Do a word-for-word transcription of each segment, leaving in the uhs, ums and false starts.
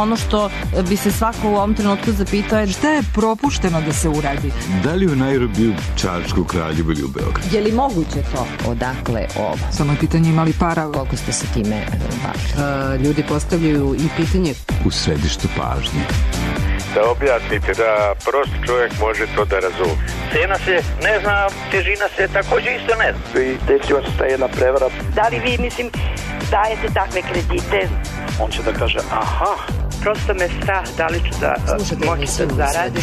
ono što bi se svako u ovom trenutku zapitao je šta je propušteno da se uradi? Da li u Nairobiju, Čačku, Kraljevu ili u Beogradu? Je li moguće to? Odakle ovo? Samo je pitanje imali para. Koliko ste se time bavili? Ljudi postavljaju i pitanje u središtu pažnje. Da objasnite, da prost čovjek može to da razumije. Cena se ne zna, težina se također isto ne zna. I desila se ta jedna prevara. Da li vi, mislim, dajete takve kredite? On će da kaže, aha. Prosto me strah, da li ću da moći da zaradim.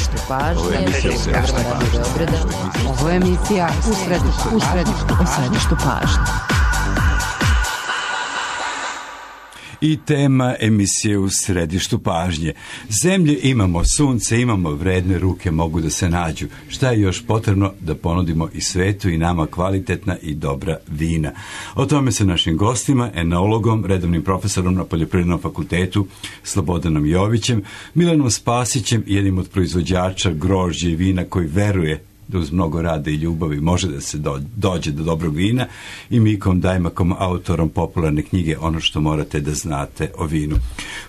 Ovo je emisija Ovo je emisija u središtu, u središtu, u središtu pažnje. I tema emisije u središtu pažnje. Zemlje imamo, sunce imamo, vredne ruke mogu da se nađu. Šta je još potrebno da ponudimo i svetu i nama kvalitetna i dobra vina? O tome sa našim gostima, enologom, redovnim profesorom na Poljoprivrednom fakultetu Slobodanom Jovićem, Milanom Spasićem, jednim od proizvođača grožđa i vina koji veruje da uz mnogo rada i ljubavi može da se dođe do dobrog vina, i Mikom Dajmakom, autorom popularne knjige Ono što morate da znate o vinu.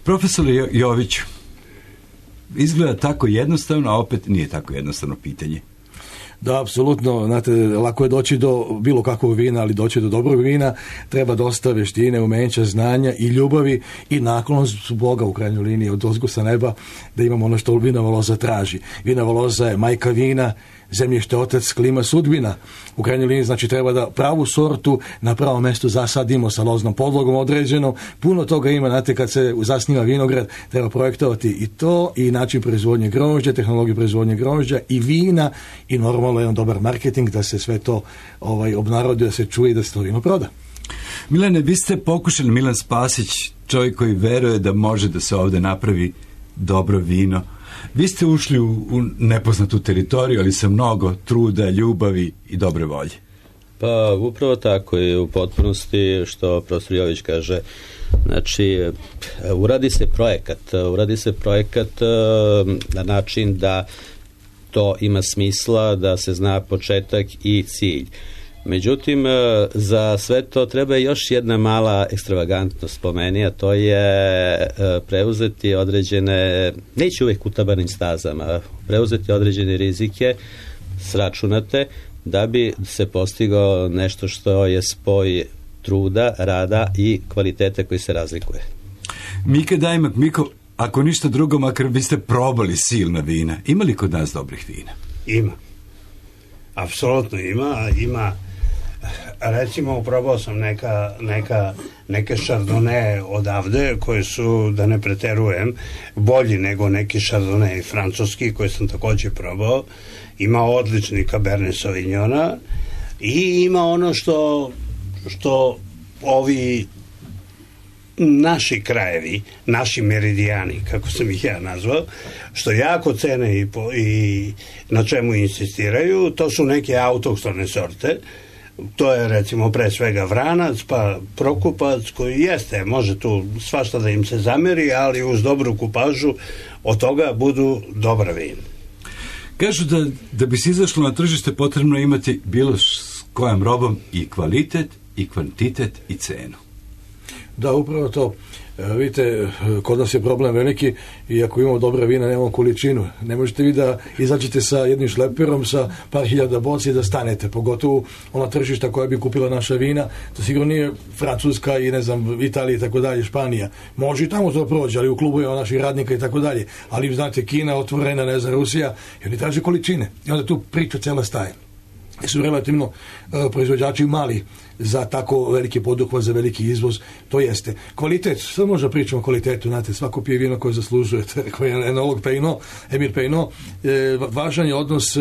Profesor Jović, izgleda tako jednostavno, a opet nije tako jednostavno pitanje. Da, apsolutno, znate, lako je doći do bilo kakvog vina, ali doći do dobrog vina treba dosta veštine, umenja, znanja i ljubavi i naklonost Boga u krajnjoj liniji od ozgo sa neba da imamo ono što vinova loza traži. Vinova loza je majka vina, zemljište otac, klima sudbina. U krajnjoj liniji znači treba da pravu sortu na pravom mjestu zasadimo sa loznom podlogom određenom. Puno toga ima, znate, kad se zasniva vinograd treba projektovati i to, i način proizvodnje grožđa, tehnologiju proizvodnje grožđa i vina, i normalno jedan dobar marketing da se sve to ovaj, obnarodi, da se čuje i da se to vino proda. Milane, vi ste pokušali, Milan Spasić, čovjek koji veruje da može da se ovdje napravi dobro vino. Vi ste ušli u, u nepoznatu teritoriju, ali sa mnogo truda, ljubavi i dobre volje. Pa upravo tako je u potpunosti što profesor Jović kaže. Znači, uradi se projekat, uradi se projekat na način da to ima smisla, da se zna početak i cilj. Međutim, za sve to treba još jedna mala ekstravagantnost po meni, a to je preuzeti određene, neće uvijek u tabanim stazama, preuzeti određene rizike, sračunate, da bi se postigao nešto što je spoj truda, rada i kvaliteta koji se razlikuje. Mika Dajmak, Miko, ako ništa drugo, makar biste probali silna vina, ima li kod nas dobrih vina? Ima. Apsolutno ima, ima. Recimo, probao sam neka, neka, neke šardone odavde koje su, da ne preterujem, bolji nego neki šardone francuski koje sam također probao. Ima odlični Cabernet Sauvignona i ima ono što, što ovi naši krajevi, naši meridijani, kako sam ih ja nazvao, što jako cene i, po, i na čemu insistiraju, to su neke autohtone sorte. To je recimo pre svega vranac, pa prokupac, koji jeste, može tu svašta da im se zameri, ali uz dobru kupažu od toga budu dobra vina. Kažu da, da bi se izašlo na tržište potrebno imati bilo s kojom robom i kvalitet, i kvantitet, i cenu. Da, upravo to. E, vidite, kod nas je problem veliki i ako imamo dobra vina, nemamo količinu. Ne možete vi da izađete sa jednim šleperom, sa par hiljada boci i da stanete. Pogotovo ona tržišta koja bi kupila naša vina, to sigurno nije Francuska i ne znam, Italija i tako dalje, Španija. Može i tamo to prođe, ali u klubu je naših radnika i tako dalje. Ali znate, Kina otvorena, ne znam, Rusija, i oni traže količine. I onda tu priča cela staje. I su relativno uh, proizvođači mali za tako veliki poduhvat, za veliki izvoz, to jeste. Kvalitet, sad možda pričamo o kvalitetu, znate, svako pije vino koje zaslužujete, koji je enolog Pejno, Emir Pejno, e, važan je odnos e,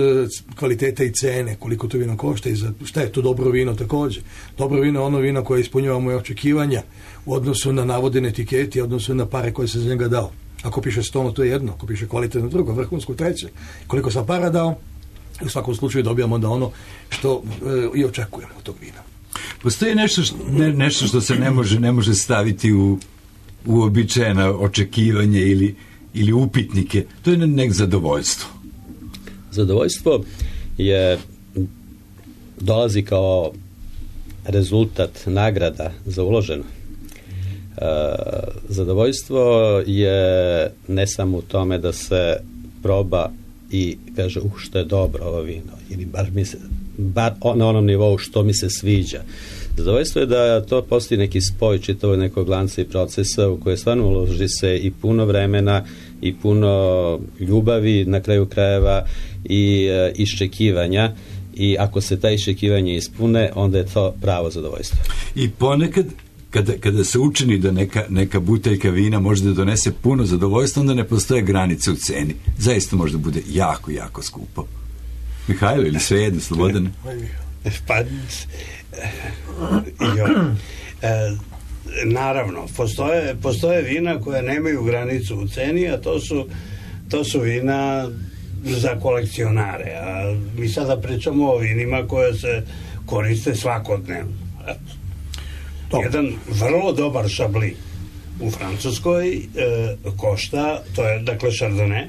kvaliteta i cene, koliko to vino košta i za šta je to dobro vino također. Dobro vino je ono vino koje ispunjava moje očekivanja u odnosu na navodene etiketi, u odnosu na pare koje se za njega dao. Ako piše sto, to je jedno, ako piše kvalitetno drugo, vrhunsko treće. Koliko sam para dao, u svakom slučaju dobijamo da ono što e, i očekujemo od tog vina. Postoji nešto što, ne, nešto što se ne može, ne može staviti u uobičajena očekivanje ili, ili upitnike. To je nek zadovoljstvo. Zadovoljstvo je dolazi kao rezultat nagrada za uloženo. Zadovoljstvo je ne samo u tome da se proba i kaže, uh, što je dobro ovo vino, ili bar, mi se, bar na onom nivou što mi se sviđa. Zadovoljstvo je da to postoji neki spoj čitavog nekog lanca i procesa u koje stvarno uloži se i puno vremena i puno ljubavi, na kraju krajeva, i e, iščekivanja, i ako se ta iščekivanja ispune, onda je to pravo zadovoljstvo. I ponekad Kada, kada se učini da neka, neka buteljka vina može da donese puno zadovoljstva, onda ne postoje granice u ceni. Zaista može da bude jako, jako skupo. Mihajlo, ili sve jedno, Slobodan? Pa, jo, e, naravno, postoje, postoje vina koje nemaju granicu u ceni, a to su, to su vina za kolekcionare. A mi sada pričamo o vinima koje se koriste svakodnevno. Jedan vrlo dobar šabli u Francuskoj e, košta, to je dakle Chardonnay,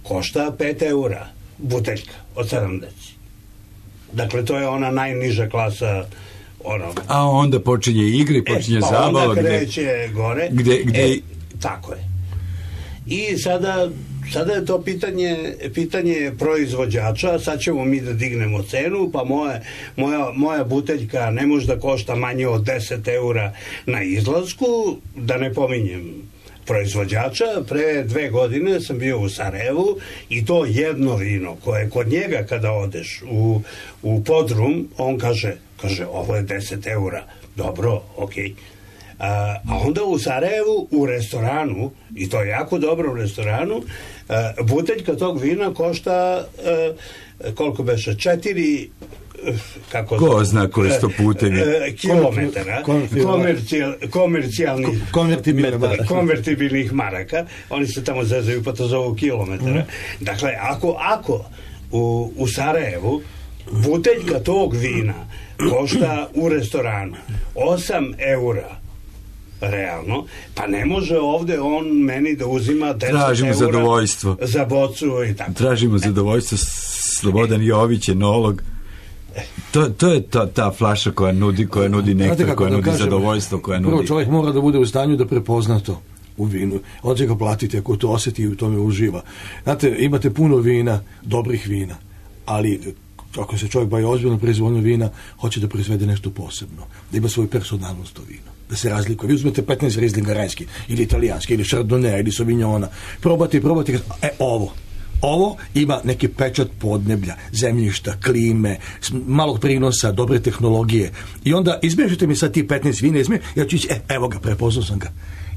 košta pet eura buteljka od sedamdeset. Dakle, to je ona najniža klasa. Ono. A onda počinje igri, počinje e, pa zabava. onda kreće gde, gore. Gde, gde... E, tako je. I sada, sada je to pitanje, pitanje proizvođača. Sad ćemo mi da dignemo cenu, pa moje, moja, moja buteljka ne može da košta manje od deset eura na izlasku, da ne pominjem proizvođača. Pre dve godine sam bio u Sarajevu i to jedno vino koje kod njega kada odeš u, u podrum, on kaže, kaže ovo je deset eura. Dobro, okej. Okay. A, a onda u Sarajevu u restoranu, i to je jako dobro u restoranu, a, buteljka tog vina košta a, koliko beše, četiri kako ko zna koje sto putevi kilometara komercijal, komercijalnih konvertibilnih maraka. Oni se tamo zezaju pa to zovu kilometara. Mm. Dakle, ako, ako u, u Sarajevu buteljka tog vina košta u restoranu osam eura realno, pa ne može ovde on meni da uzima deset Tražimo eura zadovoljstvo. Za bocu i tako. Tražimo zadovoljstvo. Slobodan Jović, enolog. To, to je ta, ta flaša koja nudi, koja nudi nektar, koja nudi kažem, zadovoljstvo, koja nudi... Prvo, čovjek mora da bude u stanju da prepozna to u vinu. On će ga platiti ako to osjeti i u tome uživa. Znate, imate puno vina, dobrih vina, ali ako se čovjek bavi ozbiljno proizvodnju vina, hoće da proizvede nešto posebno, da ima svoju personalnost to vino, da se razlikuje. Vi uzmete petnaest Rieslinga rajski, ili italijanski, ili Chardonnay, ili Sauvignona, probate i probate, e, ovo. Ovo ima neki pečat podneblja, zemljišta, klime, malog prinosa, dobre tehnologije. I onda izmešajte mi sad ti petnaest vina, izme, ja ću ići, e, evo ga, prepoznao sam ga.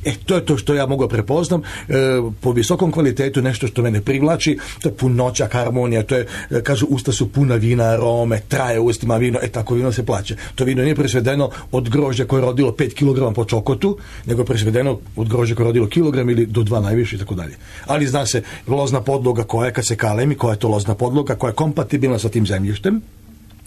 E, to je to što ja mogu prepoznam, e, po visokom kvalitetu, nešto što mene privlači, to je punoća, harmonija, to je, e, kažu, usta su puna vina, arome, traje u ustima vino, e, tako vino se plaća. To vino nije presvedeno od grožđa koje je rodilo pet kilograma po čokotu, nego je presvedeno od grožđa koje je rodilo kilogram ili do dva najviše i tako dalje. Ali zna se lozna podloga koja je, kad se kalemi, koja je to lozna podloga, koja je kompatibilna sa tim zemljištem,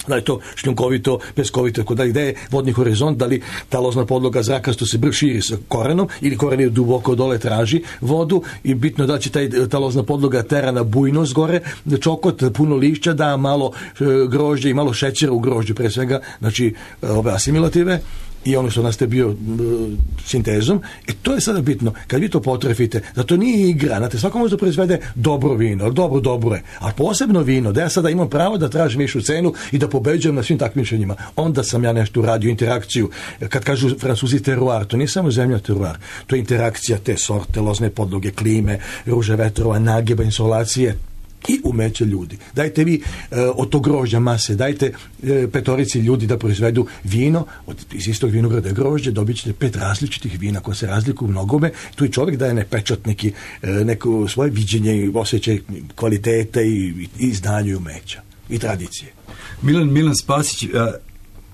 da li to šljunkovito, peskovito, tako dalje, gde je vodni horizont, da li ta lozna podloga zrakasto se brž širi sa korenom ili koren je duboko dole traži vodu i bitno da će taj, ta lozna podloga tera na bujnost gore, da čokot, puno lišća, da malo e, grožđe i malo šećera u grožđu pre svega, znači ove asimilative i ono što nastaje bio uh, sintezom, e to je sada bitno, kad vi to potrefite, da to nije igra, znate, svako može da proizvede dobro vino, dobro, dobro je, a posebno vino, da ja sada imam pravo da tražim višu cenu i da pobeđujem na svim takmičenjima, onda sam ja nešto uradio, interakciju, kad kažu Francuzi teruar, to nije samo zemlja teruar, to je interakcija te sorte, lozne podloge, klime, ruže vetrova, nageba, insolacije, i umeće ljudi. Dajte vi e, od tog grožđa mase, dajte e, petorici ljudi da proizvedu vino, od, iz istog vinograda grožđe, dobit ćete pet različitih vina koje se razlikuju u mnogome, tu i čovjek daje ne pečat neki, e, neko svoje viđenje i osjećaj kvalitete i, i, i znanje i umeća i tradicije. Milan, Milan Spasić, a,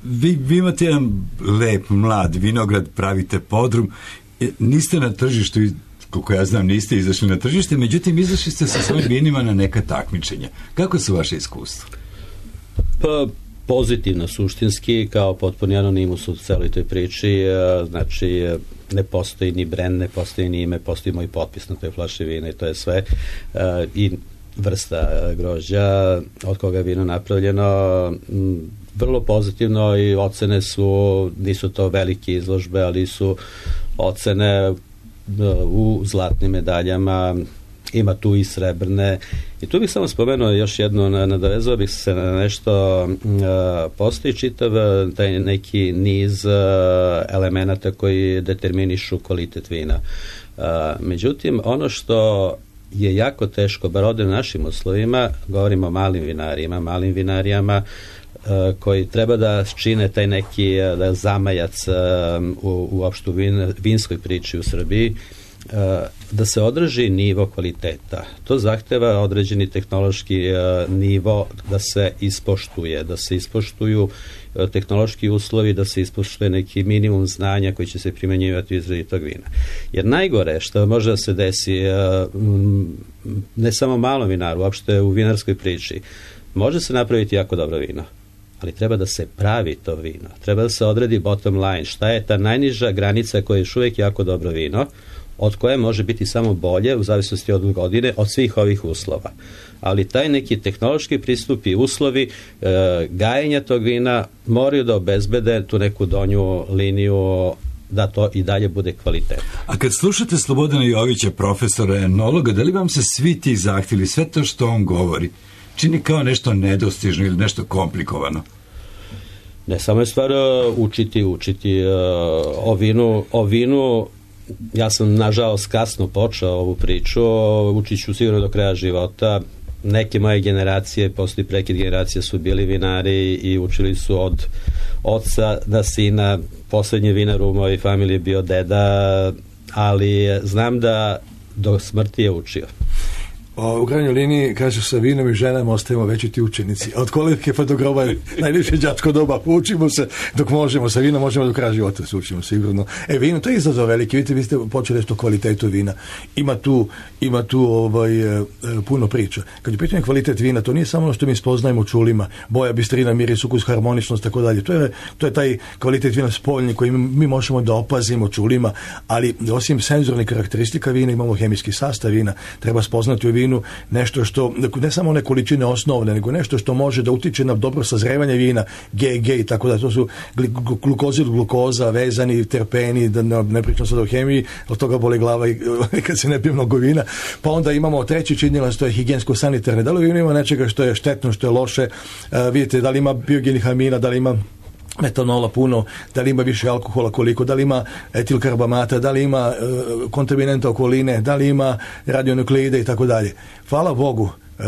vi, vi imate jedan lep, mlad vinograd, pravite podrum, e, niste na tržištu i koliko ja znam, niste izašli na tržište, međutim, izašli ste sa svojim vinima na neka takmičenja. Kako su vaše iskustva? Pa, pozitivno, suštinski, kao potpuni anonimus u celoj toj priči, znači, ne postoji ni brend, ne postoji ni ime, postoji moj potpis na toj flaši vina i to je sve. I vrsta grožđa, od koga je vino napravljeno, vrlo pozitivno i ocene su, nisu to velike izložbe, ali su ocene u zlatnim medaljama, ima tu i srebrne. I tu bih samo spomenuo još jedno, nadovezao bih se na nešto, postoji čitav taj neki niz elemenata koji determinišu kvalitet vina. Međutim, ono što je jako teško, bar ovdje u našim uslovima, govorimo o malim vinarima, malim vinarijama, koji treba da čine taj neki da zamajac u, uopšte u vin, vinskoj priči u Srbiji, da se održi nivo kvaliteta. To zahteva određeni tehnološki nivo da se ispoštuje, da se ispoštuju tehnološki uslovi, da se ispoštuje neki minimum znanja koji će se primenjivati u izradi tog vina. Jer najgore što može da se desi ne samo malom vinaru, uopšte u vinarskoj priči, može se napraviti jako dobro vino, ali treba da se pravi to vino. Treba da se odredi bottom line. Šta je ta najniža granica koja je još uvijek jako dobro vino, od koje može biti samo bolje u zavisnosti od godine, od svih ovih uslova. Ali taj neki tehnološki pristup i uslovi e, gajenja tog vina moraju da obezbede tu neku donju liniju da to i dalje bude kvalitetno. A kad slušate Slobodana Jovića, profesora enologa, da li vam se svi ti zahtjevi, sve to što on govori, čini kao nešto nedostižno ili nešto komplikovano? Ne, samo je stvar uh, učiti, učiti uh, o vinu, o vinu. Ja sam nažalost kasno počeo ovu priču, učit ću sigurno do kraja života. Neke moje generacije, poslije prekid generacije, su bili vinari i učili su od oca na sina. Poslednji vinar u mojoj familiji je bio deda, ali znam da do smrti je učio. U krajnjoj liniji, kaže, sa vinom i ženama ostajemo veći ti učenici. Od kolike pa do groba je najljepše đačko doba. Učimo se dok možemo, sa vinom možemo do kraja života se učimo sigurno. E, vino, to je izazov veliki. Vidite, vi ste počeli nešto o kvalitetu vina. Ima tu, ima tu ovaj, puno priča. Kad je pitanje kvalitet vina, to nije samo ono što mi spoznajemo čulima. Boja, bistrina, miris, ukus, harmoničnost, tako dalje. To je, to je taj kvalitet vina spoljni koji mi možemo da opazimo čulima, ali osim senzornih karakteristika vina imamo hemijski sastav vina. Treba spoznati u vinu nešto što, ne samo one količine osnovne, nego nešto što može da utiče na dobro sazrevanje vina, G G i tako da. To su glukozid, glukoza, vezani, terpeni, da ne, ne pričam sad o hemiji, od toga boli glava i kad se ne pije mnogo vina. Pa onda imamo treći činilac, to je higijensko-sanitarne. Da li vino ima nečega što je štetno, što je loše? Uh, vidite, da li ima biogenih amina, da li ima metanola puno, da li ima više alkohola koliko, da li ima etilkarbamata, da li ima e, kontaminanta okoline, da li ima radionukleide i tako dalje. Hvala Bogu, e,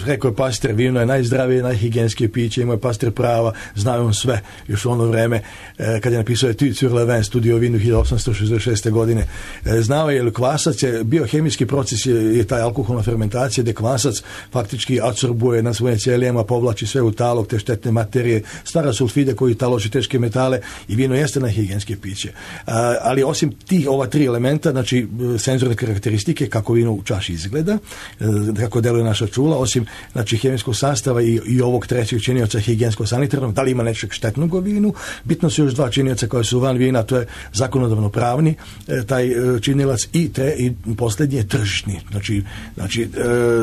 rekao je Pasteur, vino je najzdravije, najhigijenskije piće, ima je Pasteur prava, znao on sve, još u ono vreme e, kad je napisao Etudes sur le vin, studiju o vinu hiljadu osamsto šezdeset šeste. godine. E, znao je, jer kvasac je, biohemijski proces je, je taj alkoholna fermentacija, gde kvasac faktički adsorbuje na svojim ćelijama, povlači sve u talog, te štetne materije, stvara sulfide koji talože teške metale i vino jeste najhigijenske piće. A, ali osim tih ova tri elementa, znači senzorne karakteristike, kako vino u čaši izgleda, e, kako deluje naša čula, osim znači hemijskog sastava i, i ovog trećeg činioca higijensko-sanitarnog, da li ima nečeg štetnog u vinu, bitno su još dva činioca koje su van vina, to je zakonodavno pravni e, taj e, činilac i, tre, i posljednji je tržišni. Znači, znači e,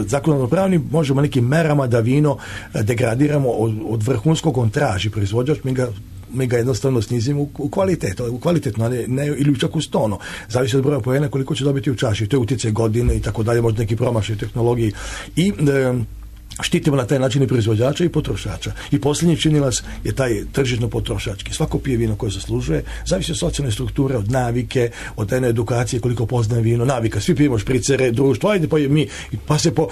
zakonodavno pravni možemo nekim merama da vino degradiramo od, od vrhunskog, on traži proizvođač, mi ga mi ga jednostavno snizimo u, u kvalitetu, u kvalitetno, ne, ne, ili čak u stono. Zavisi od broja poena koliko će dobiti u čaši. To je utjecaj godine i tako dalje, možda neki promašaj tehnologiji. I e, štitimo na taj način i proizvođača i potrošača. I posljednji činilac je taj tržišno potrošački. Svako pije vino koje zaslužuje, zavisi od socijalne strukture, od navike, od jedne edukacije, koliko poznaje vino, navika. Svi pijemo špricere, društvo, ajde pa je mi, pa se po,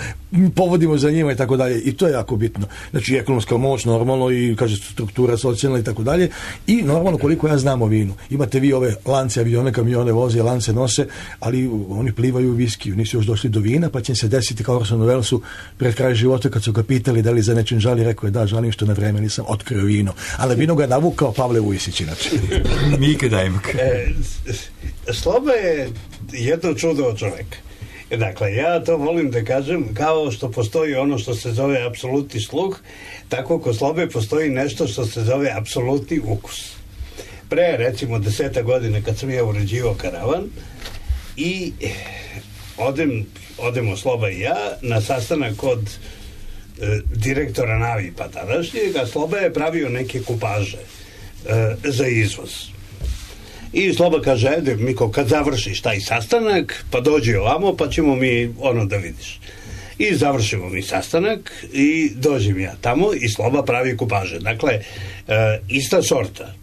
povodimo za njima i tako dalje. I to je jako bitno. Znači ekonomska moć, normalno, i kaže struktura socijalna i tako dalje. I normalno koliko ja znam o vinu. Imate vi ove lance, avione, kamione voze, lance nose, ali oni plivaju u viskiju, nisu još došli do vina, pa će se desiti kao Orson Wellsu pred kraj života kad su ga pitali da li za nečim žali, rekao je da, žalim što na vreme nisam otkrio vino. Ali vino ga je navukao Pavle Vujsić inače. Mika Dajmak. E, Sloba je jedno čudo od čoveka. Dakle, ja to volim da kažem, kao što postoji ono što se zove apsolutni sluh, tako kod Slobe postoji nešto što se zove apsolutni ukus. Pre, recimo, deseta godine kad sam ja uređivao karavan i odem, odemo Sloba i ja na sastanak kod e, direktora Navipa tadašnjeg, a Sloba je pravio neke kupaže e, za izvoz. I Sloba kaže, ajde Miko, kad završiš taj sastanak, pa dođi ovamo, pa ćemo mi ono da vidiš. I završimo mi sastanak i dođem ja tamo i Sloba pravi kupaže. Dakle, e, ista sorta.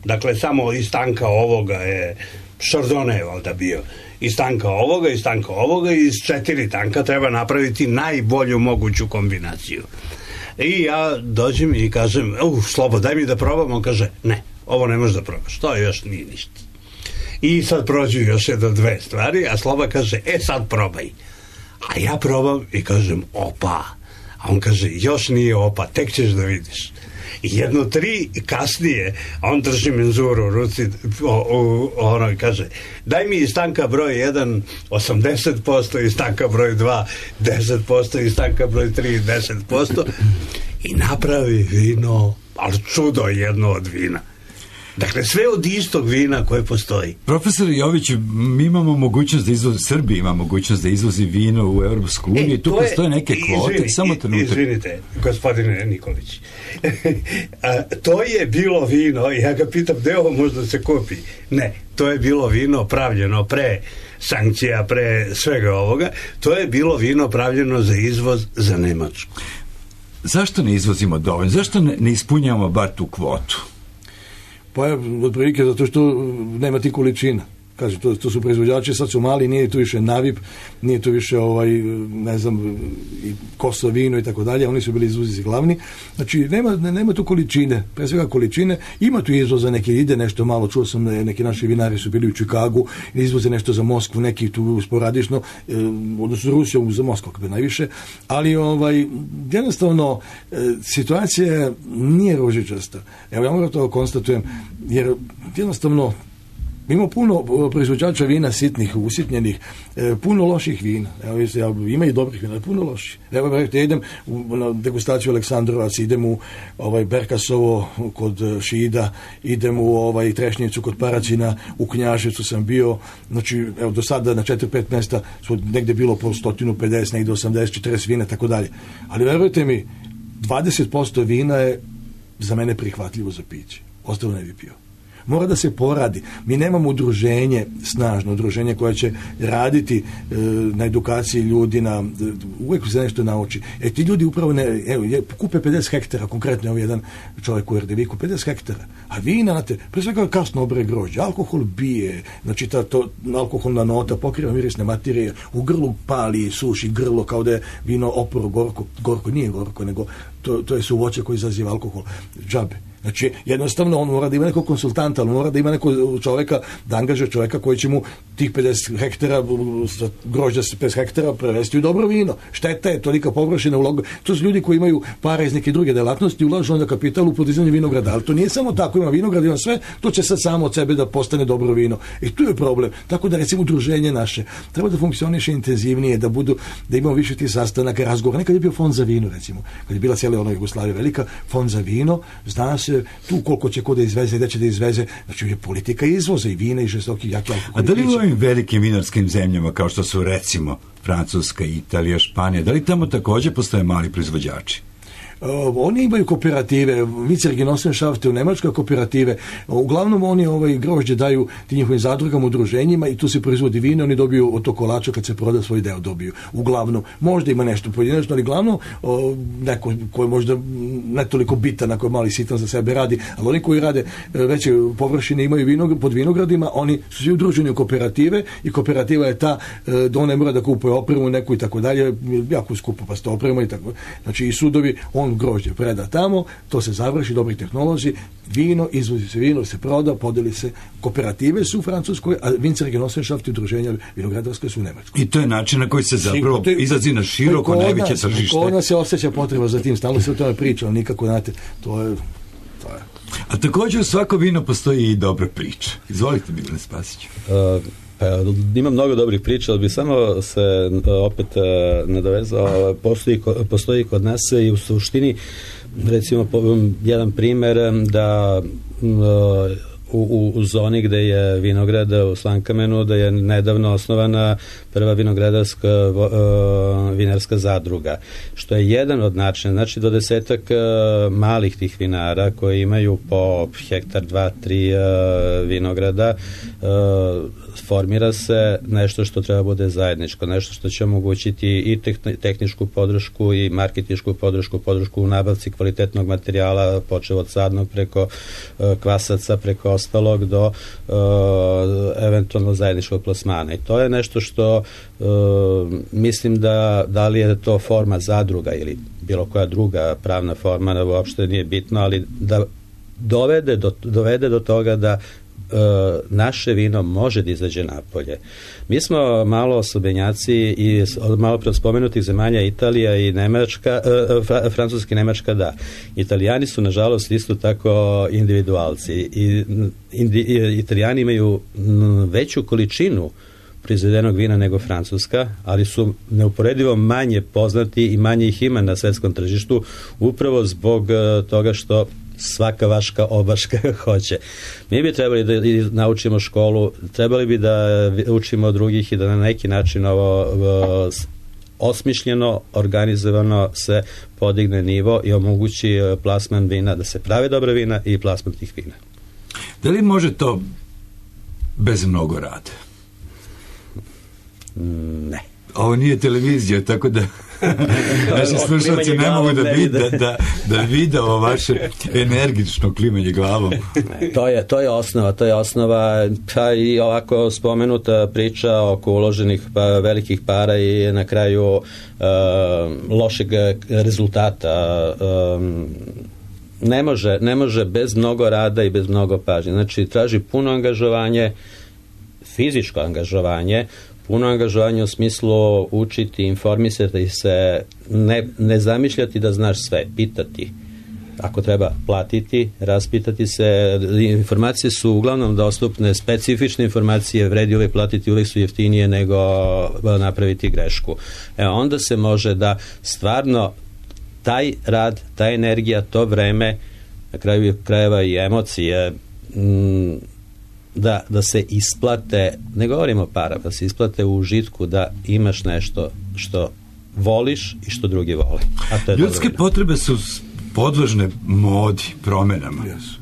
Dakle, samo iz tanka ovoga je Chardonnay valjda bio. Iz tanka ovoga, iz tanka ovoga i iz četiri tanka treba napraviti najbolju moguću kombinaciju. I ja dođem i kažem, uh, Slobo, daj mi da probam. On kaže, ne, ovo ne možeš da probaš, to još nije ništa. I sad prođu još jedno dve stvari, a Sloba kaže, e sad probaj. A ja probam i kažem, opa. A on kaže, još nije opa, tek ćeš da vidiš. I jedno tri kasnije, a on drži menzuru u ruci, o, o, ono i kaže, daj mi iz tanka broj jedan osamdeset posto, iz tanka broj dva deset posto, iz tanka broj tri deset posto i napravi vino, ali čudo jedno od vina. Dakle, sve od istog vina koje postoji. Profesor Jović, mi imamo mogućnost da izvozi, Srbija ima mogućnost da izvozi vino u Europsku uniju e, i tu postoje neke kvote, izvini, samo trenutak. Izvinite, gospodine Nikolić. A, to je bilo vino, ja ga pitam, gde ovo možda se kupi? Ne, to je bilo vino pravljeno pre sankcija, pre svega ovoga. To je bilo vino pravljeno za izvoz za Nemačku. Zašto ne izvozimo dovoljno? Zašto ne, ne ispunjavamo bar tu kvotu? Pa je otprilike zato što nema ti količina. Kaže, to, to su proizvođači, sad su mali, nije tu više Navip, nije tu više ovaj, ne znam, i Kosovo vino i tako dalje, oni su bili izvoznici glavni. Znači, nema, nema tu količine, pre svega količine, ima tu izvoza, neki ide nešto malo, čuo sam, neki naši vinari su bili u Čikagu, izvoze nešto za Moskvu, neki tu sporadično, eh, odnosno Rusiju za Moskvu, kako bi najviše, ali ovaj, jednostavno, eh, situacija nije ružičasta. Evo, ja moram to konstatujem, jer jednostavno, ima puno proizvođača vina sitnih, usitnjenih, e, puno loših vina. Evo, ja, ima i dobrih vina, puno loših. Evo, ja idem u, na degustaciju Aleksandrovac, idem u ovaj, Berkasovo kod Šida, idem u ovaj, Trešnjicu kod Paracina, u Knjaževcu sam bio, znači, evo, do sada na četiri pet mjesta su negde bilo po sto pedeset, negde osamdeset četrdeset vina, tako dalje. Ali verujte mi, dvadeset posto vina je za mene prihvatljivo za piće. Ostalo ne bi pio. Mora da se poradi. Mi nemamo udruženje, snažno udruženje koje će raditi e, na edukaciji ljudi, na, uvijek se nešto nauči. E ti ljudi upravo ne, evo, kupe pedeset hektara, konkretno evo jedan čovjek u Erdeviku, pedeset hektara, a vina, znate, pre svega kasno obre grožđe, alkohol bije, znači ta to, alkoholna nota pokriva mirisne materije, u grlu pali, suši grlo kao da je vino oporo, gorko, gorko, nije gorko, nego to, to je su voće koji izaziva alkohol, džabe. Znači, jednostavno, on mora da ima nekog konsultanta, on mora da ima nekog čoveka, da angažuje čoveka koji će mu tih pedeset hektara, grožđa pedeset hektara prevesti u dobro vino. Šteta je, tolika površina uloga. To su ljudi koji imaju para iz neke druge delatnosti, ulažu onda kapital u podizanje vinograda. Ali to nije samo tako, ima vinograd, ima sve, to će sad samo od sebe da postane dobro vino. I tu je problem. Tako da, recimo, udruženje naše treba da funkcioniše intenzivnije, da budu, da imamo više tih sastanaka, razgovora. Nekad je bio fond za vino, recimo. Kad je bila cijela ona Jugoslavija velika, fond za vino, zna se tu koliko će ko da izveze, gde će da izveze, znači je politika izvoza i vina i žestoki jaki alkohol. A da li u ovim velikim vinarskim zemljama kao što su recimo Francuska, Italija, Španija, da li tamo također postoje mali proizvođači? Uh, oni imaju kooperative, Vicergenossenschaft u Nemačkoj kooperative, uglavnom oni ovaj grožđe daju ti njihovim zadrugama, udruženjima i tu se proizvodi vino, oni dobiju od tog kolača kad se proda svoj deo dobiju. Uglavnom, možda ima nešto pojedinačno, ali glavno uh, neko koji je možda ne toliko bitan, ako je mali sitan za sebe radi, ali oni koji rade uh, veće površine imaju vinograd, pod vinogradima, oni su svi udruženi u kooperative i kooperativa je ta uh, da ona ne mora da kupuje opremu neku i tako dalje, jako skupo pa sto oprema i tako. Znači i sudovi, on grožđe preda tamo, to se završi, dobri tehnolozi, vino, izvozi se vino, se proda, podeli se, kooperative su u Francuskoj, a Vicergenossenschaft i udruženja vinogradarske su u Nemačkoj. I to je način na koji se zapravo te, izlazi na široko najveće tržište. Kod nas se osjeća potreba za tim, stalno se o tome priča, ali nikako, znate, to je, to je. A također u svako vino postoji i dobra priča. Izvolite, Milan Spasić. Uh, Pa, ima mnogo dobrih priča, ali bi samo se opet nadovezao, postoji, postoji kod nas i u suštini, recimo jedan primer da u, u zoni gde je vinograd u Slankamenu, da je nedavno osnovana prva vinogradarska uh, vinarska zadruga, što je jedan od načina. Znači dvadesetak uh, malih tih vinara koji imaju po hektar, dva, tri uh, vinograda, uh, formira se nešto što treba bude zajedničko, nešto što će omogućiti i tehničku podršku i marketinšku podršku, podršku u nabavci kvalitetnog materijala, počev od sadnog preko uh, kvasaca, preko ostalog do uh, eventualno zajedničkog plasmana. I to je nešto što uh, mislim da da li je to forma zadruga ili bilo koja druga pravna forma, uopšte nije bitno, ali da dovede do, dovede do toga da naše vino može da izađe napolje. Mi smo malo osobenjaci i malo pre spomenutih zemalja Italija i Nemačka, Fra, Francuska i Nemačka, da. Italijani su nažalost isto tako individualci i indi, Italijani imaju veću količinu proizvedenog vina nego Francuska, ali su neuporedivo manje poznati i manje ih ima na svetskom tržištu upravo zbog toga što svaka vaška obaška hoće. Mi bi trebali da naučimo školu, trebali bi da učimo od drugih i da na neki način ovo osmišljeno, organizovano se podigne nivo i omogući plasman vina, da se prave dobra vina i plasman tih vina. Da li može to bez mnogo rada? Ne. Ovo nije televizija, tako da naši slušalci ne mogu da vide da, da, da vide ovo vaše energično klimanje glavom. To je, to je osnova, to je osnova, pa i ovako spomenuta priča oko uloženih pa, velikih para i na kraju uh, lošeg rezultata. Um, ne može, ne može bez mnogo rada i bez mnogo pažnje. Znači, traži puno angažovanje, fizičko angažovanje, puno angažovanje u smislu učiti, informisati se, ne, ne zamišljati da znaš sve, pitati. Ako treba platiti, raspitati se, informacije su uglavnom dostupne, specifične informacije, vredi uvijek platiti, uvijek su jeftinije nego napraviti grešku. Evo, onda se može da stvarno taj rad, ta energija, to vreme, na kraju krajeva i emocije, m, Da, da se isplate, ne govorimo o para, da se isplate u užitku, da imaš nešto što voliš i što drugi vole. A to je ljudske potrebe su podložne modi, promenama. Yes.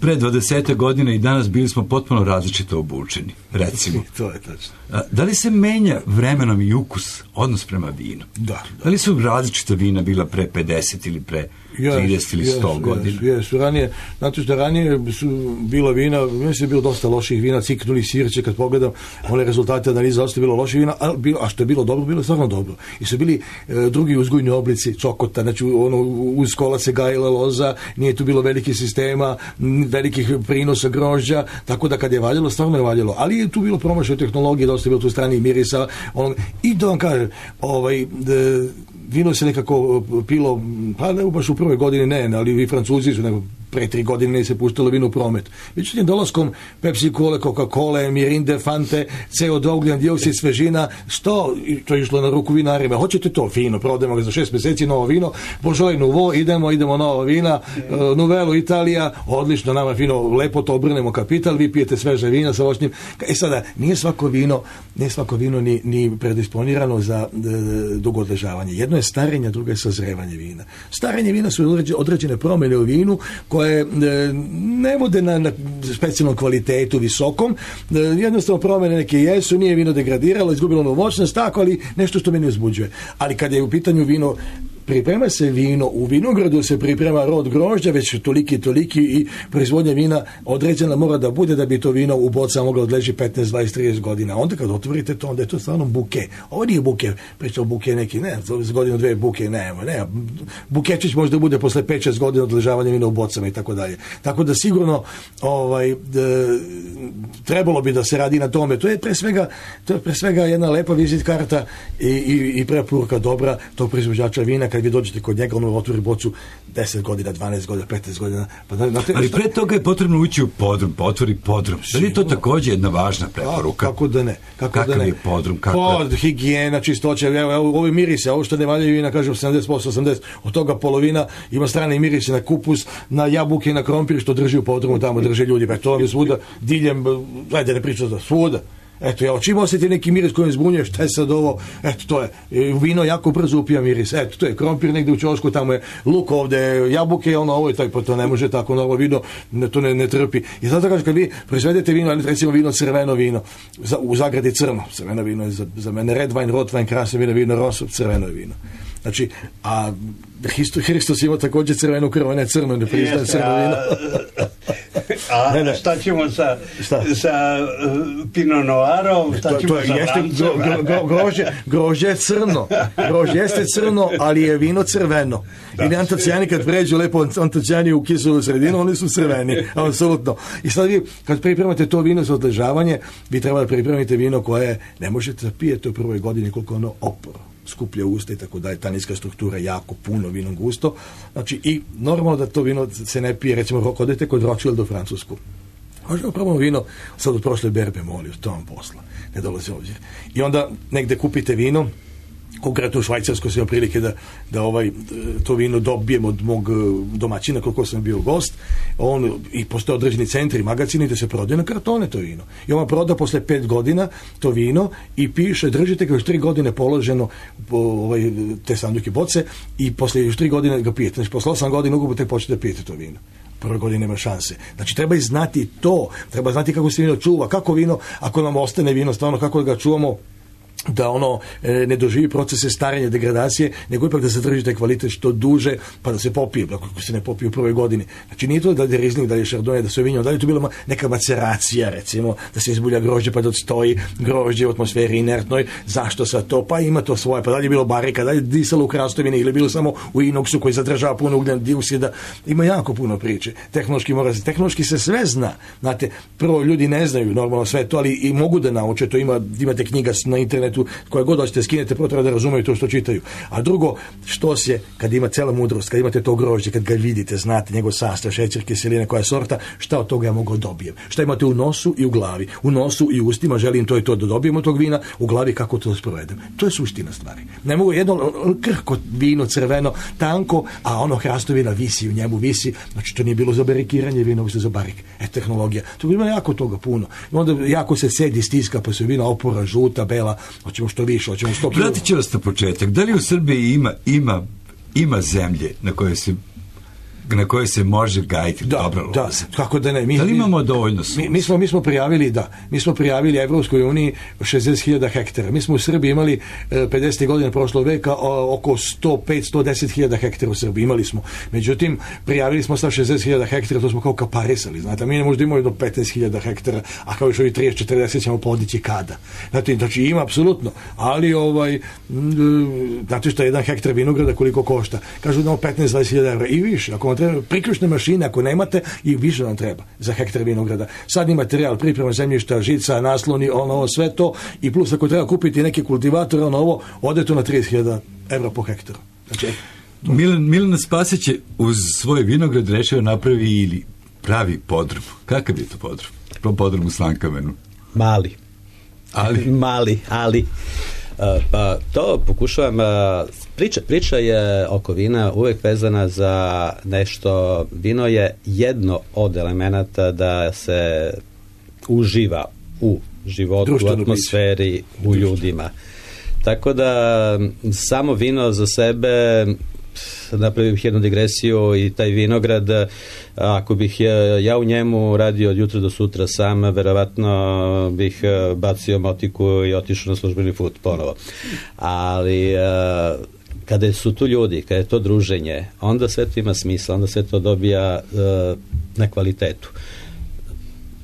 Pre dvadeset godina i danas bili smo potpuno različito obučeni, recimo. To je tačno. Da li se menja vremenom i ukus, odnos prema vinu? Da, da. Da li su različita vina bila pre pedeset ili pre trideset ili sto yes, godina? Yes, yes. Ranije, znate što ranije su bila vina, mislim je bilo dosta loših vina, ciknuli sirće, kad pogledam one rezultate analiza, dosta bilo loših vina, a, bilo, a što je bilo dobro, bilo je stvarno dobro. I su bili e, drugi uzgojni oblici, čokota, znači ono, uz kola se gajila loza, nije tu bilo velikih sistema, velikih prinosa grožđa, tako da kad je valjalo, stvarno je valjalo. Ali je tu bilo promašaj tehnologije, dosta je bilo tu strani mirisa, on, i da vam kažem, ovaj, de, vino se nekako pilo, pa ne baš u prvoj godini ne, ali i Francuzi su nego pre tri godine se puštalo vino u promet. Međutim, dolaskom Pepsi Cola, Coca-Cola, Mirinde, Fante, C O dva, ugljen dioksid, svežina, što, to je išlo na ruku vinarima, hoćete to fino, prodajemo ga za šest meseci, novo vino, Božoj Nuvo, idemo, idemo novo vina, uh, Nuvelo Italija, odlično, nama fino, lepo to obrnemo kapital, vi pijete sveže vina sa voćnim. E sada, nije svako vino, nije svako vino ni, ni predisponirano za d, dugo odležavanje. Jedno je starenje, drugo je sazrevanje vina. Starenje vina su određene promjene u vinu koje ne vode na, na specijalnom kvalitetu visokom, jednostavno promjene neke jesu, nije vino degradiralo, izgubilo ono moćnost, tako, ali nešto što meni uzbuđuje. Ali kad je u pitanju vino, priprema se vino, u vinogradu se priprema rod grožđa, već toliki, toliki i proizvodnja vina određena mora da bude da bi to vino u bocama moglo odleži petnaest, dvadeset, trideset godina. Onda kad otvorite to, onda je to stvarno buke. Ovo nije buke, pričao buke neki, ne, z godinu, dve buke, ne, ne. Bukečić možda bude posle pet šest godina odležavanja vina u bocama i tako dalje. Tako da sigurno ovaj, d, trebalo bi da se radi na tome. To je pre svega, to je pre svega jedna lepa vizit karta i, i, i preporuka dobra tog proizvođača vina. Kad vi dođete kod njega, ono otvori bocu deset godina, dvanaest godina, petnaest godina. Pa da, te, ali pre toga je potrebno ući u podrum, pa otvori podrum. Da li je to također jedna važna preporuka? A, kako da ne? Kako Kakav da ne? je podrum? Kako... Pod, higijena, čistoća, evo, evo, ovi mirise, ovo što ne valjaju vina, kažem sedamdeset posto, osamdeset posto, od toga polovina ima strane mirise na kupus, na jabuke i na krompir, što drži u podrumu, tamo drže ljudi, pa to vam je svuda, diljem, ajde ne pričam da, svuda. Eto, ja čim osjeti neki miris koji me zbunjuje, šta je sad ovo, eto, to je, vino jako brzo upija miris, eto, to je krompir negdje u ćošku, tamo je luk ovdje, jabuke, ono, ovo je tako, pa to ne može tako, novo vino, ne, to ne, ne trpi. I zato kažem, kad vi proizvedete vino, recimo vino, crveno vino, za, u zagradi crno, crveno vino je za, za mene red wine, rot wine, krasno vino, vino, rosop, crveno je vino. Znači, a Hristos ima također crvenu krv, ne crno, ne priznaje crno vino. A ne, ne. Šta ćemo sa, sa uh, Pinot Noirom, šta to, ćemo to je, sa jeste, Brancom? gro, gro, grožđe, grožđe je crno, grožđe jeste crno, ali je vino crveno. Da. I antocijani kad pređu lepo antocijani u kiselu sredinu, oni su crveni, apsolutno. I sad vi, kad pripremate to vino za odležavanje, vi treba da pripremite vino koje ne možete da pijete u prvoj godini koliko ono oporo. Skuplje usta i tako da je ta niska struktura jako puno vino gusto. Znači i normalno da to vino se ne pije, recimo ako odete kod Rothschild u Francusku. Možemo probamo vino sad od prošle berbe, molim, to vam posla. Ne dolazi ovdje. I onda negde kupite vino, konkretno u Švajcarskoj sam imao prilike da, da ovaj, to vino dobijem od mog domaćina koliko sam bio gost. On, i postoje određeni centri, magazini da se prodaje na kartone to vino. I on proda posle pet godina to vino i piše, držite ga još tri godine položeno po, ovaj, te sanduke boce i posle još tri godine ga pijete. Znači posle osam godina ugubo tek počete da pijete to vino. Prve godine nema šanse. Znači treba i znati to, treba znati kako se vino čuva, kako vino, ako nam ostane vino, stvarno kako ga čuvamo, da ono e, ne doživi procese starenja, degradacije, nego ipak da se drži taj kvalitet što duže, pa da se popije, ako se ne popije u prvoj godini. Znači nije to da je riznik, da je šardonje, da se vinjeno, da je to bila neka maceracija, recimo, da se izbulja grožđe pa da odstoji grožđe u atmosferi inertnoj, zašto sad to, pa ima to svoje, pa da li je bilo barika, da li je disalo u krastovini ili bilo samo u inoksu koji zadržava puno ugljen dioksida, ima jako puno priče. Tehnološki mora se, tehnološki se sve zna. Znate, prvo ljudi ne znaju normalno sve to, ali i mogu da nauče, to ima, imate knjiga na internetu koje god hoćete skinete, prvo treba da razumeju to što čitaju. A drugo, što se, kad ima cela mudrost, kad imate to grožđe, kad ga vidite, znate njegov sastav, šećer, kiselina, koja je sorta, šta od toga ja mogu dobijem? Šta imate u nosu i u glavi? U nosu i u ustima želim to i to da dobijem od tog vina, u glavi kako to sprovedem. To je suština stvari. Ne mogu jedno krhko vino, crveno, tanko, a ono hrastovina visi u njemu, visi, znači to nije bilo za barikiranje vina, ovo se za barik. E, tehnologija. To ima jako toga puno. I onda jako se sedi, stiska, pa se vina opora, žuta, bela, hoćemo što više, hoćemo sto kilo. Vratit ću vas na početak. Da li u Srbiji ima, ima, ima zemlje na koje se na koje se može gajiti da, dobra loza? Da, kako da ne. Mi, da li imamo dovoljno sunca? Mi, mi, smo, mi smo prijavili, da, mi smo prijavili Evropskoj uniji šezdeset hiljada hektara. Mi smo u Srbiji imali pedesetih godina prošlog veka oko sto pet do sto deset hiljada hektara u Srbiji. Imali smo. Međutim, prijavili smo sa šezdeset hiljada hektara, to smo kao kaparisali. Znate, mi ne možda imamo do petnaest hiljada hektara, a kao još ovi trideset četrdeset ćemo podići kada. Znate, znači ima apsolutno, ali ovaj, znate što je jedan hektar vinograda koliko košta? Kažu da petnaest do dvadeset hiljada evra i više. Ako treba priključne mašine, ako nemate, i više nam treba za hektar vinograda. Sadni materijal, priprema zemljišta, žica, nasloni, ono, sve to, i plus ako treba kupiti neke kultivatore, ono ovo, ode to na trideset hiljada evra po hektaru. Znači, Milan, Milan Spasić je uz svoj vinograd rešio napravi ili pravi podrum. Kakav je to podrum? Pro podrum u Slankamenu. Mali. Ali? Mali, ali. Uh, pa to pokušavam, uh, priča, priča je oko vina uvek vezana za nešto. Vino je jedno od elemenata da se uživa u životu, društveno u atmosferi, biće. U društveno. Ljudima. Tako da samo vino za sebe, napravio bih jednu digresiju, i taj vinograd, ako bih ja, ja u njemu radio od jutra do sutra sam, verovatno bih bacio motiku i otišao na službeni put ponovo. Ali kada su tu ljudi, kada je to druženje, onda sve to ima smisla, onda sve to dobija na kvalitetu.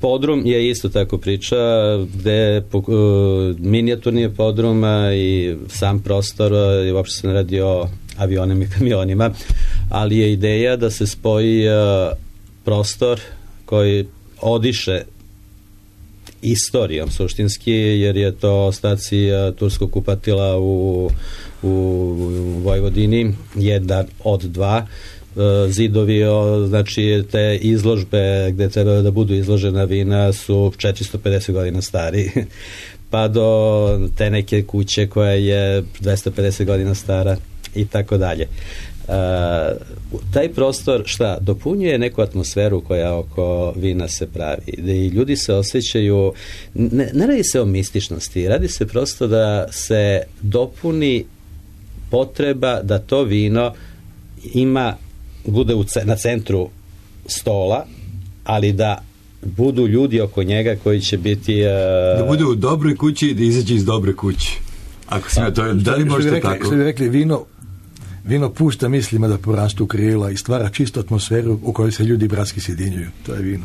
Podrum je isto tako priča, gde uh, minijaturni je podrum i sam prostor, i uopšte se ne radi o avionima i kamionima, ali je ideja da se spoji uh, prostor koji odiše istorijom suštinski, jer je to ostaci turskog kupatila u, u Vojvodini, jedan od dva. Zidovi, znači te izložbe gde treba da budu izložena vina su četiristo pedeset godina stari, pa do te neke kuće koja je dvesta pedeset godina stara i tako dalje. Taj prostor šta dopunjuje neku atmosferu koja oko vina se pravi, i ljudi se osjećaju, ne, ne radi se o mističnosti, radi se prosto da se dopuni potreba da to vino ima, bude u, na centru stola, ali da budu ljudi oko njega koji će biti uh... da bude u dobroj kući i da izađe iz dobre kuće. Ako se to je, da li možete tako? Što bi rekli, vino Vino pušta mislima da porastu krila i stvara čistu atmosferu u kojoj se ljudi bratski sjedinjuju. To je vino.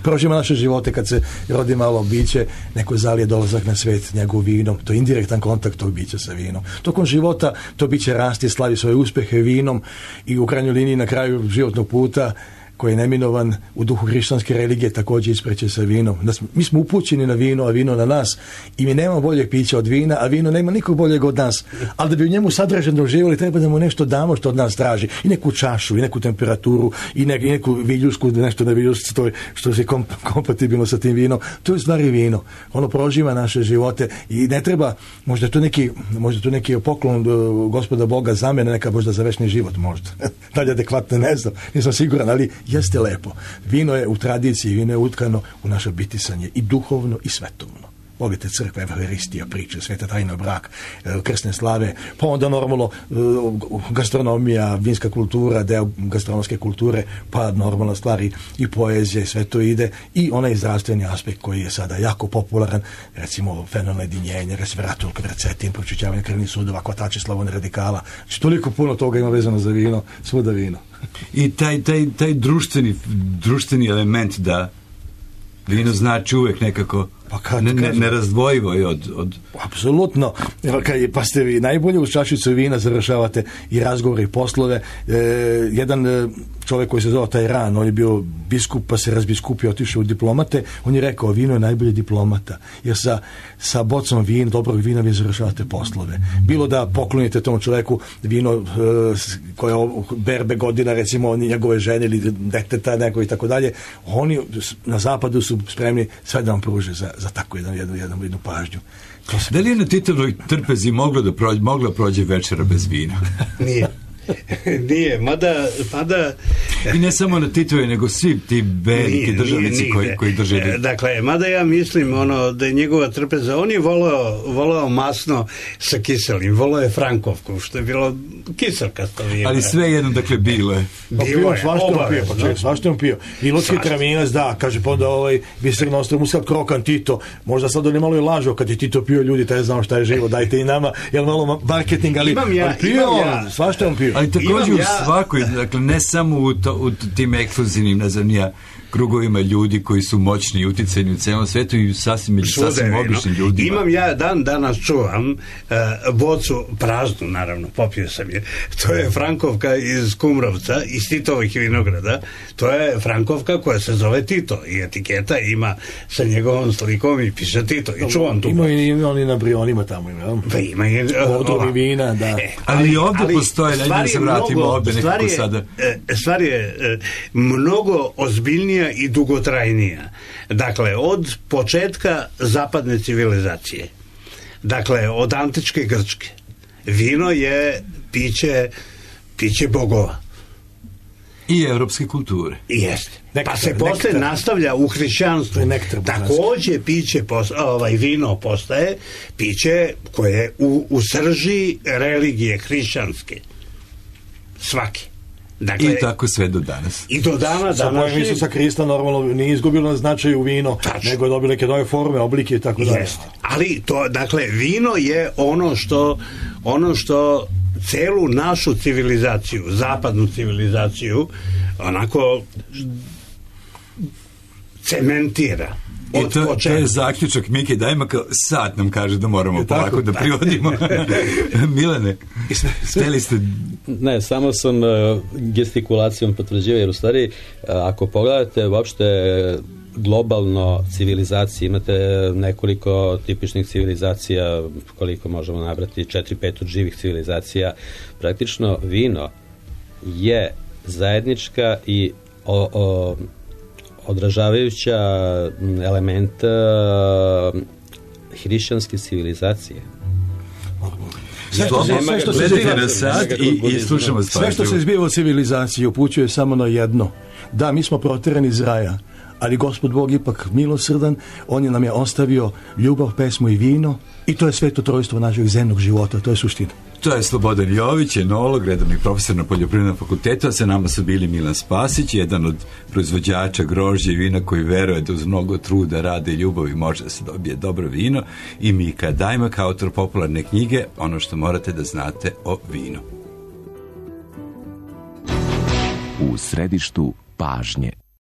Prožimo naše živote kad se rodi malo biće, neko zalije dolazak na svet njegov vinom. To je indirektan kontakt tog bića sa vinom. Tokom života to biće rasti, slavi svoje uspjehe vinom i u krajnjoj liniji na kraju životnog puta koji je neminovan u duhu hrišćanske religije također ispreće sa vinom. Mi smo upućeni na vino, a vino na nas, i mi nemamo boljeg pića od vina, a vino nema nikog boljeg od nas. Ali da bi u njemu sadržajno uživali, treba da mu nešto damo što od nas traži. I neku čašu, i neku temperaturu, i, ne, i neku viljusku, nešto na viljusku što, što je kom, kompatibilno sa tim vinom. To je stvari vino. Ono proživa naše živote i ne treba, možda to neki, možda to neki poklon Gospoda Boga za mene, neka možda za večni život možda. Dalje adekvatno ne znam, nisam siguran, ali jeste lepo. Vino je u tradiciji, vino je utkano u naše bitisanje i duhovno i svetovno. Volite crkve, Evharistija, priče, sveta tajna, brak, krsne slave, pa onda normalno gastronomija, vinska kultura, deo gastronomske kulture, pa normalna stvari i poezija i sve to ide, i onaj zdravstveni aspekt koji je sada jako popularan, recimo fenomen jedinjenja, resveratul, kvercetin, pročišćavanje krvnih sudova, hvatači slavone radikala. Znači, toliko puno toga ima vezano za vino, svuda vino. I taj, taj, taj društveni, društveni element da vino znači uvek nekako pa kad, ne, ne, nerazdvojivo je od, od... Apsolutno. Pa ste vi najbolje uz čašicu vina završavate i razgovore i poslove. E, jedan e, čovjek koji se zove Tajran, on je bio biskup, pa se razbiskupio, otišao u diplomate, on je rekao, vino je najbolji diplomata, jer sa, sa bocom vina, dobrog vina vi završavate poslove. Bilo da poklonite tom čovjeku vino e, koje berbe godina, recimo njegove žene ili deteta neko i tako dalje, oni na zapadu su spremni sve da vam pruže za, za tako jednu, jednu, jednu, jednu pažnju. Da li je na Titovoj trpezi moglo da prođe, mogla prođe večera bez vina? Nije. Nije, mada, mada... I ne samo na Titovoj, nego svi ti veliki državnici nije, koji, koji drže... E, dakle, mada ja mislim ono, da je njegova trpeza, on je volao, volao masno sa kiselim, volao je Frankovku, što je bilo kiselkasto vino. Ali sve jedno, dakle, bilo je. Bilo je, svašta on pio, pa čekaj, svašta on pio. I Lutski Traminac, da, kaže, pa onda ovaj, Biserno ostao Muskat Krokan, Tito, možda sad on je malo i lažao, kad je Tito pio, ljudi, taj znao šta je živo, dajte i nama, jel malo marketing, ali, imam ja, ali pio, ja. svašta on pio. Ali također u svakoj, dakle, ne samo u, to, u tim ekskluzivnim, ne znam, nija, krugovima ljudi koji su moćni i uticajni u celom svetu i sasvim, sasvim običnim ljudima. Imam ja, dan danas čuvam uh, bocu praznu, naravno, popio sam je. To je Frankovka iz Kumrovca, iz Titovih vinograda. To je Frankovka koja se zove Tito i etiketa ima sa njegovom slikom i piše Tito. I čuvam tu. Ima i oni na Brionima tamo, ima. Pa ima i... Odrovi vina, da. E, ali, ali ovdje ali, postoje, da se vratimo ovdje nekako sada. Stvar je mnogo ozbiljnija i dugotrajnija. Dakle, od početka zapadne civilizacije, dakle, od antičke Grčke, vino je piće, piće bogova. I evropske kulture. Jeste. Nektar, pa se posle nektar. Nastavlja u hrišćanstvu. Također piće, ovaj, vino postaje piće koje je u, u srži religije hrišćanske. Svaki. Dakle, i tako sve do danas. I do dana sa pojavim Isusa Krista normalno nije izgubilo na značaju vino, tačno, nego je dobilo neke nove forme, oblike i tako dalje. Ali to, dakle, vino je ono što ono što celu našu civilizaciju, zapadnu civilizaciju, onako cementira. I to, to je zaključak Mike Dajmaka, sad nam kaže da moramo je polako tako, da privodimo. Milane, steli ste... Ne, samo sam uh, gestikulacijom potvrđivao, jer u stvari, uh, ako pogledate uopšte globalno civilizacije, imate nekoliko tipičnih civilizacija, koliko možemo nabrati, četiri, pet od živih civilizacija. Praktično vino je zajednička i o, o, odražavajuća element uh, hrišćanske civilizacije. Sve što, sve, sve, što se zbiva, i, i slušamo sve što se zbiva u civilizaciji upućuje samo na jedno. Da, mi smo proterani iz raja, ali Gospod Bog ipak milosrdan, on je nam je ostavio ljubav, pesmu i vino i to je sveto trojstvo našeg zemnog života, to je suština. To je Slobodan Jović, enolog, redovni profesor na Poljoprivrednom fakultetu, a sa nama su bili Milan Spasić, jedan od proizvođača grožđa i vina koji veruje da uz mnogo truda, rada i ljubavi može da se dobije dobro vino, i Mika Dajmak, autor popularne knjige Ono što morate da znate o vinu. U središtu pažnje.